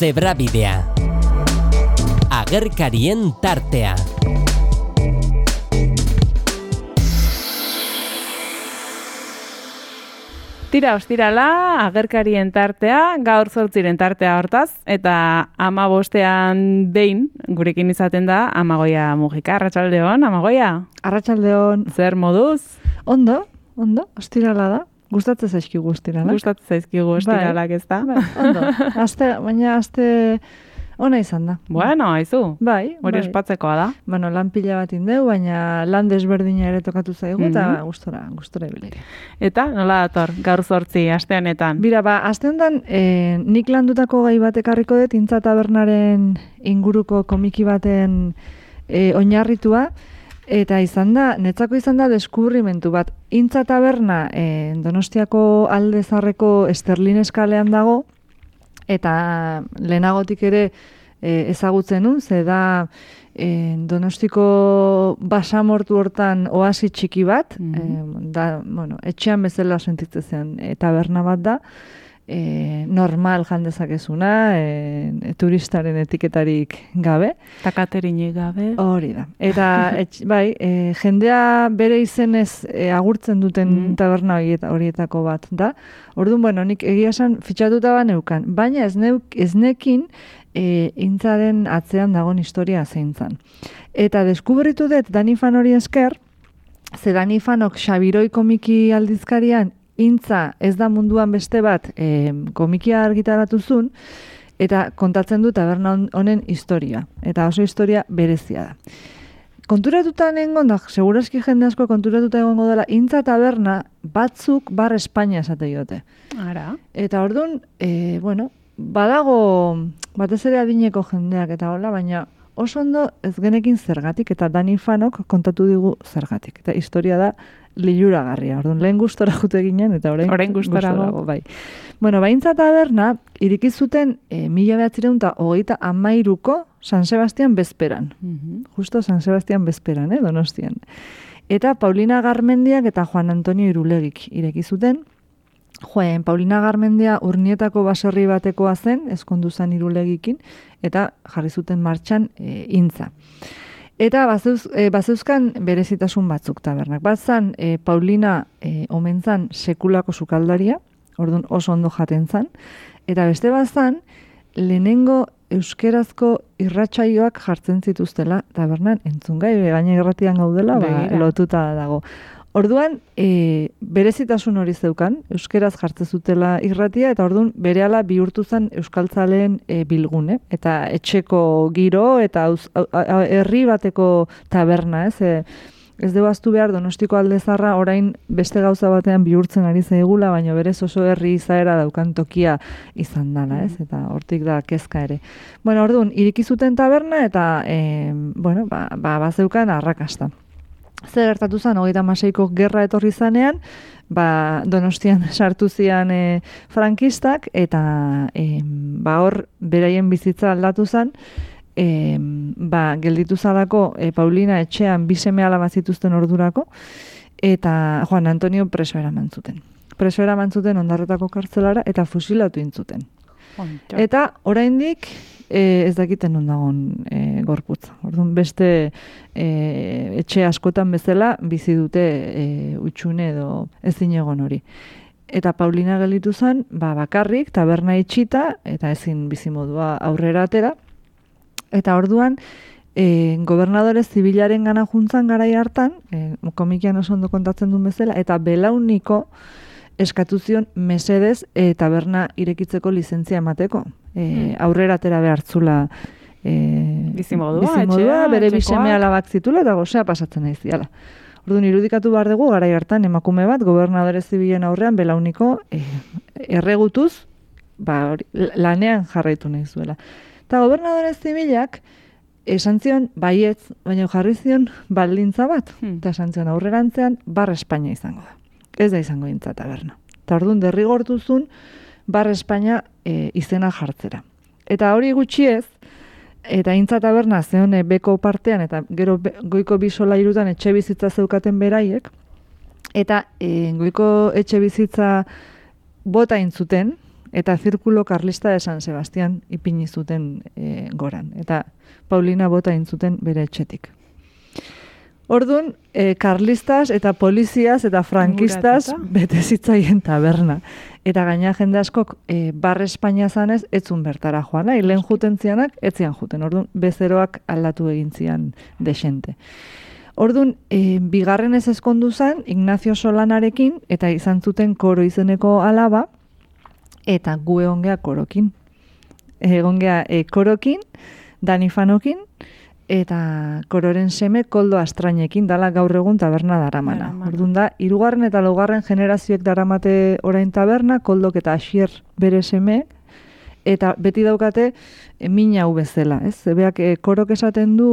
Zebrabidea. Agerkarien tartea. Tira ostirala, agerkarien tartea, gaur 8 tartea hortaz, eta 15ean behin gurekin izaten da Amagoia Mujika. Arratsaldeon, Amagoia. Arratsaldeon. Zer moduz? Ondo, ostirala da. Gustatzen zaizkigu ostiralak. Gustatzen zaizkigu ostiralak, ez da? Bai, ondo. Baina aste ona izan da. Bueno, aizu. Bai. Hori ospatzekoa da. Bueno, lan pila bat indeu, baina lan desberdina ere tokatu zaigu, eta gustora ibili. Eta nola dator, gaur 8 aste honetan? Bira, aste honetan nik landutako gai bat ekarriko dut, Intza Tabernaren inguruko komiki baten oinarritua, eta netzako izan da deskubrimentu bat. Intza Taberna Donostiako Alde Zaharreko Esterlines kalean dago, eta lehenagotik ere ezagutzen nun, ze da Donostiko basamortu hortan oasi txiki bat, etxean bezala sentitzen zen taberna bat da, normal jandezakezuna, turistaren etiketarik gabe. Eta katerinik gabe. Hori da. Eta jendea bere izenez agurtzen duten taberna horietako bat da. Orduan, nik egia esan fitxatuta neukan, baina ez nekin Intzaren atzean dagoen historia zein zan. Eta deskubritu dut Danifan hori esker, ze Danifanok Xabiroi komiki aldizkarian Intza ez da munduan beste bat komikia argitaratu zuen, eta kontatzen du taberna honen historia. Eta oso historia berezia da. Konturatuta nengon da, segurazki jende asko konturatuta egongo dela, Intza Taberna batzuk Bar Espainia esate diote. Ara. Eta orduan, badago batez ere adineko jendeak eta hola, baina oso ondo ez genekin zergatik, eta Danifanok kontatu digu zergatik. Eta historia da liluragarria. Orduan, lehen gustora jute ginen, eta orain gustorago. Bai. Intza Taberna iriki zuten 1933ko San Sebastian bezperan. Justo San Sebastian bezperan, Donostian. Eta Paulina Garmendiak eta Juan Antonio Irulegik ireki zuten. Paulina Garmendia Urnietako baserri batekoa zen, ezkondu zen Irulegikin, eta jarri zuten martxan Intza. Eta bazeuzkan berezitasun batzuk tabernak. Bat zan, Paulina omen zan sekulako sukaldaria, orduan oso ondo jaten zan, eta beste bat zan, lehenengo euskerazko irratsaioak jartzen zituztela tabernan entzungai, gaina irratian gaudela, lotuta dago. Orduan, berezitasun hori zeukan, euskeraz jartzen zutela irratia, eta orduan berehala bihurtu zen euskaltzaleen bilgune, eta etxeko giro, eta herri bateko taberna, ez dugu aztu behar Donostiko Alde Zaharra orain beste gauza batean bihurtzen ari zaigula, baina berez oso herri izaera daukan tokia izan dela, eta hortik da kezka ere. Orduan, iriki zuten taberna, eta bazeukan arrakasta. Zer gertatu zen, 36ko gerra etorri zanean, Donostian sartu zian frankistak, eta hor beraien bizitza aldatu zen, gelditu zalako Paulina etxean 2 seme-alaba zituzten ordurako, eta Juan Antonio preso eraman zuten. Preso eraman zuten Ondarretako kartzelara, eta fusilatu intzuten. Eta oraindik ez dakiten non dagoen gorputza. Orduan beste etxe askotan bezala bizi dute utxune edo ezin egon hori. Eta Paulina gelditu zen, bakarrik, taberna itxita, eta ezin bizimodua aurrera atera. Eta orduan, gobernadore zibilaren gana juntzan garai hartan, komikian oso ondo kontatzen duen bezala, eta belauniko eskatu zion mesedez taberna irekitzeko lizentzia emateko. Aurrera atera behartzula bizimodua, bere 2 seme-alabak zitula, eta gozea pasatzen nahi ziala. Orduan, irudikatu behar dugu, garai hartan emakume bat, gobernadore zibilen aurrean, belauniko erregutuz, lanean jarraitu nahi zuela. Eta gobernadore zibilak esan zion baietz, baina jarri zion baldintza bat, eta esan zion aurrerantzean Bar Espainia izango da. Ez da izango Intza Taberna. Eta orduan derrigortu zuen Bar Espainia izena jartzera. Eta hori gutxi ez, eta Intza Taberna zeon beko partean, eta gero goiko 2 solairutan etxe bizitza zeukaten beraiek, eta goiko etxe bizitza bota intzuten, eta zirkulo karlista de San Sebastian ipini zuten goran. Eta Paulina bota intzuten bere etxetik. Orduan, karlistas eta poliziaz eta frankistas bete zitzaien taberna. Eta gaina jende askok barre Espainia zanez, etzun bertara joan. Lehen juten zianak, etzian juten. Orduan, bezeroak aldatu egin zian desente. Orduan, bigarren ez ezkondu zen, Ignacio Solanarekin, eta izan zuten Koro izeneko alaba, eta gu egongea Korokin. Egongea Korokin, Dani Fanokin, eta Kororen seme Koldo Astrainekin dala gaur egun taberna daramana. Orduan da, 3. eta 4. generazioek daramate orain taberna, Koldok eta Asier bere seme, eta beti daukate mina hau bezala, ez? Zebeak Korok esaten du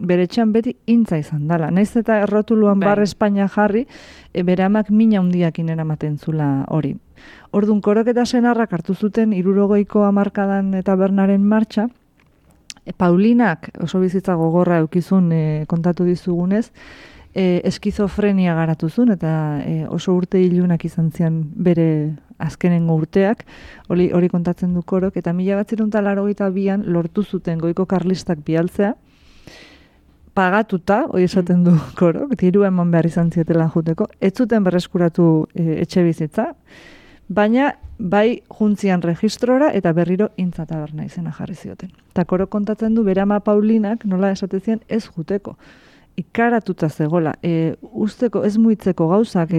bere etxean beti intza izan dala. Naiz eta errotuluan barre Espainia jarri, bere amak mina hundiakin eramaten zula hori. Orduan, Korok eta senarrak hartu zuten 60ko hamarkadan tabernaren martxa, Paulinak oso bizitza gogorra eukizun kontatu dizugunez, eskizofrenia garatuzun eta oso urte ilunak izan zian bere azkenengo urteak, hori kontatzen du Korok, eta 1982an lortu zuten goiko karlistak bialtzea, pagatuta, hori esaten du Korok, diru eman behar izan zietela juteko, ez zuten berreskuratu etxe bizitza, baina bai juntzian registrora eta berriro intza taberna izena jarri zioten. Eta Korok kontatzen du bere ama Paulinak nola esatezien ez juteko. Ikaratuta zegola, usteko ez muitzeko gauzak,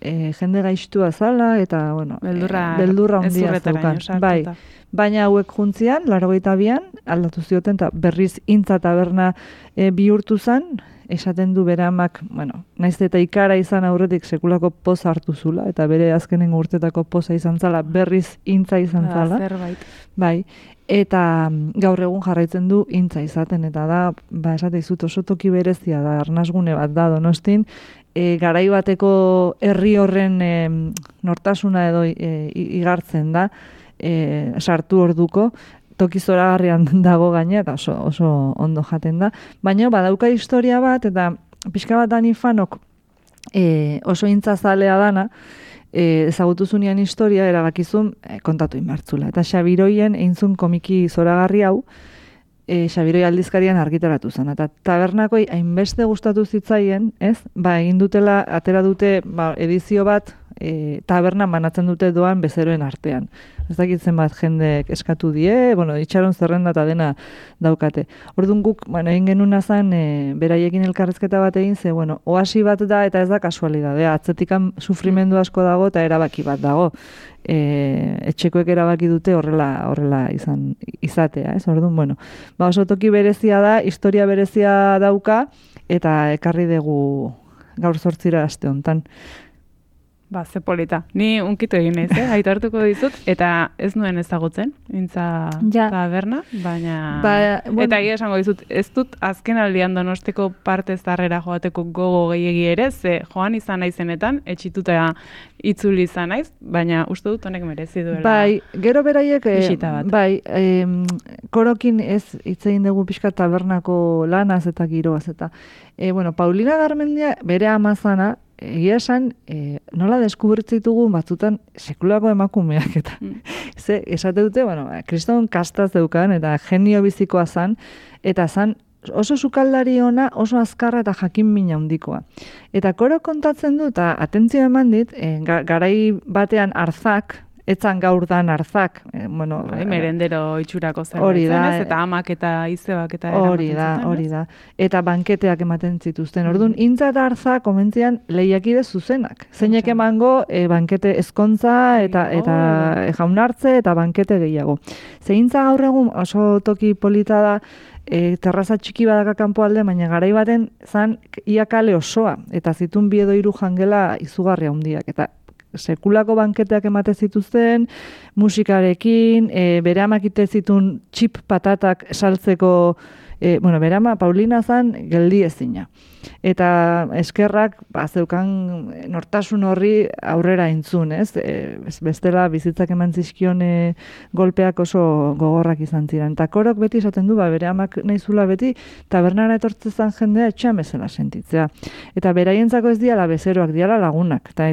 jende gaixtua zala eta bueno, beldurra handia zeukan. Bai, baina hauek juntzian 82an aldatu zioten eta berriz intza taberna bihurtu zen. Esaten du bere amak, bueno, naiz eta ikara izan aurretik sekulako poza hartu zula, eta bere azkenengo urtetako poza izan zala, berriz intza izan zala. Zerbait. Bai, eta gaur egun jarraitzen du intza izaten, eta da, esate izut oso toki berezia da, arnasgune bat da Donostin, garai bateko herri horren nortasuna edo igartzen da, sartu orduko, toki zoragarrian dago gaina, eta oso ondo jaten da. Baina badauka historia bat, eta pixka bat Dani Fanok oso intzazalea dana, ezagutu zunean historia, erabakizun kontatu inbertzula. Eta Xabiroien eintzun komiki zoragarri hau, Xabiroi aldizkarian argitaratu zen. Eta tabernakoi hainbeste gustatu zitzaien, ez? Egin dutela, atera dute edizio bat, taberna manatzen dute doan bezeroen artean. Ez dakitzen bat jendek eskatu die, itxaron zerrenda eta dena daukate. Orduan guk, egin genuna zen, beraiekin elkarrezketa bat egin ze, oasi bat da eta ez da kasualidadea. Atzetikan sufrimendu asko dago eta erabaki bat dago. Etxekoek erabaki dute horrela izatea, ez? Orduan, oso toki berezia da, historia berezia dauka, eta ekarri dugu gaur 8 aste hontan. Ze polita. Ni unkitu egin naiz, aitortuko dizut, eta ez nuen ezagutzen, intza taberna, baina... Eta egia esango dizut, ez dut azken aldian Donostiko parte zarrera joateko gogo gehiegi ere, ze joan izan naizenetan, etxituta itzuli izan naiz, baina uste dut honek merezi duela. Bai, gero beraiek, bisita bat. Korokin ez hitz egin dugu pixka tabernako lanaz eta giroaz, eta Paulina Garmendia bere amazana, egia esan, nola deskubritzitugu batzutan sekulako emakumeak eta esate dute, kriston kastaz deukan eta genio bizikoa zan, eta zan oso sukaldari ona, oso azkarra eta jakin mina handikoa. Eta Korok kontatzen du, eta atentzio eman dit, garai batean arzak, etzan gaur dan arzak. Merendero itxurako zen, eta amak eta izebak eta eramaten zuten. Hori da. Eta banketeak ematen zituzten. Orduan, intza eta arzak komentzian lehiakide zuzenak. Zeinek emango bankete ezkontza eta jaunartze eta bankete gehiago. Zeintza gaur egun oso toki polita da, terraza txiki badaka kanpo alde, baina garai baten zan ia kale osoa, eta zitun 2 edo 3 jangela izugarria handiak, eta sekulako banketeak emate zituzten, musikarekin, bere amak ite zitun txip patatak saltzeko, bere ama Paulina zan geldi ezina. eta eskerrak zeukan nortasun horri aurrera entzun, ez? Bestela bizitzak eman zizkion golpeak oso gogorrak izan ziren. Eta Korok beti esaten du, bere amak nahizula beti, tabernara etortzezan jendea etxean bezala sentitzea. Eta beraientzako ez diala bezeroak, diala lagunak. Eta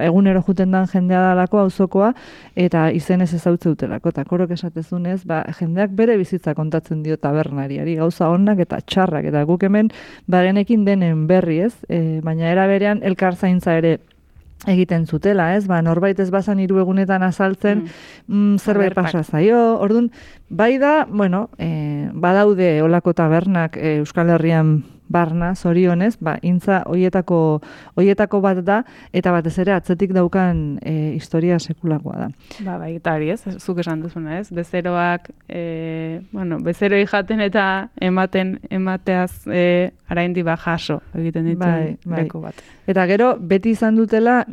egunero juten dan jendea dalako auzokoa eta izenez ezautzeutelako. Eta Korok esatezunez, jendeak bere bizitza kontatzen dio tabernariari, gauza onak eta txarrak. Eta guk hemen bagenekin denen berri, ez? Baina era berean elkar zaintza ere egiten zutela, ez? Norbait ez bazan 3 egunetan azaltzen, zerbait pasa zaio. Orduan, bai da, badaude olako tabernak Euskal Herrian barna, zorionez, intza hoietako bat da, eta batez ere atzetik daukan historia sekulakoa da. Bai, eta hori ez, zuk esan duzuna ez, bezeroak, bezeroi jaten eta emateaz araindi jaso egiten ditzen leko bat. Eta gero, beti izan dutela,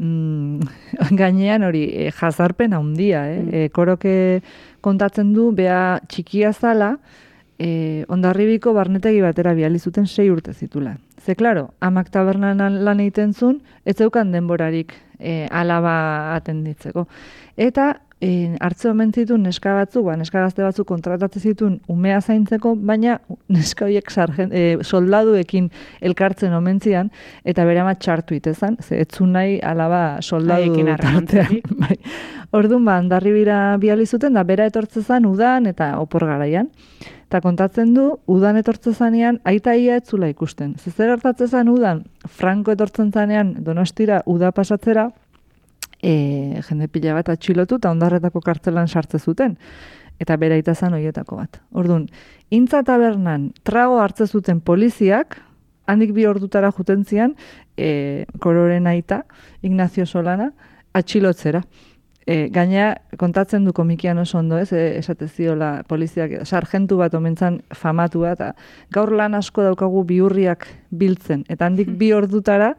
gainean hori jazarpen handia, Koroke kontatzen du, bea txikia zala, Hondarribiko barnetegi batera bidali zuten 6 urte zitula. Ze, klaro, amak tabernan lan egiten zuen, ez zeukan denborarik alaba atenditzeko. Eta hartze omen zituen neska gazte batzuk kontratatzen zituen umea zaintzeko, baina neska horiek soldaduekin elkartzen omen zian, eta bere ama txartu itezan, ze etzun nahi alaba soldadu tartean. Orduan, Hondarribira bidali zuten, da bera etortzezan udan eta opor garaian. Eta kontatzen du, udan etortzen zanean, aita ia etzula ikusten. Zer hartatzen zan udan, Franco etortzen zanean Donostira uda pasatzera, jende pila bat atxilotu eta Hondarretako kartzelan sartze zuten. Eta bera aita zan horietako bat. Orduan, intza tabernan trago hartze zuten poliziak, handik 2 ordutara juten zian, Kororen aita, Ignacio Solana, atxilotzera. Gaina kontatzen du komikian oso ondo, ez? Esate ziola poliziak, sargentu bat omentzan famatua, eta gaur lan asko daukagu bihurriak biltzen. Eta handik 2 ordutara,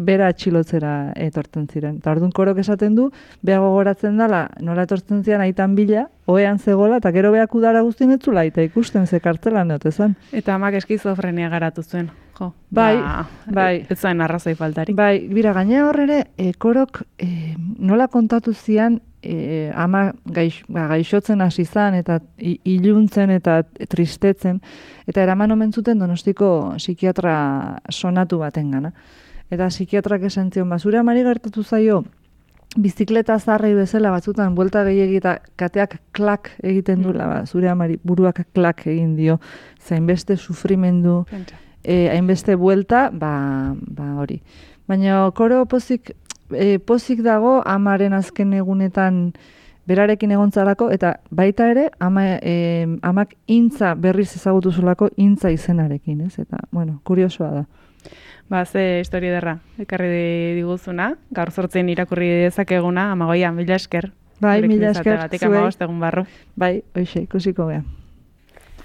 bera atxilotzera etortzen ziren. Eta orduan Korok esaten du, beha gogoratzen dela, nola etortzen ziren aitan bila, ohean zegoela, eta gero beak udara guztien etzula, eta ikusten ze kartzelan neotezan. Eta amak eskizofrenia garatu zuen. Bai. Ez zain arrazoi faltarik. Bai, bira, gaina horrere, Korok nola kontatu zian, ama gaixotzen hasi zan, eta iluntzen eta tristetzen, eta eraman omen zuten Donostiko psikiatra sonatu baten gana. Eta psikiatrak esan zion, zure amari gertatu zaio, bizikleta zarrei bezala batzutan, buelta gehiagi eta kateak klak egiten duela, zure amari buruak klak egin dio, zainbeste sufrimendu, hainbeste buelta, hori. Baina Koro pozik dago amaren azken egunetan berarekin egontzalako, eta baita ere, amak intza berriz ezagutu zulako intza izenarekin, ez? Eta, kuriosoa da. Ze historia derra, ekarri diguzuna, gaur 8 irakurri dezakeguna, Amagoia, mila esker. Bai, mila esker. Zuei. Bai, hoxe, ikusiko geha.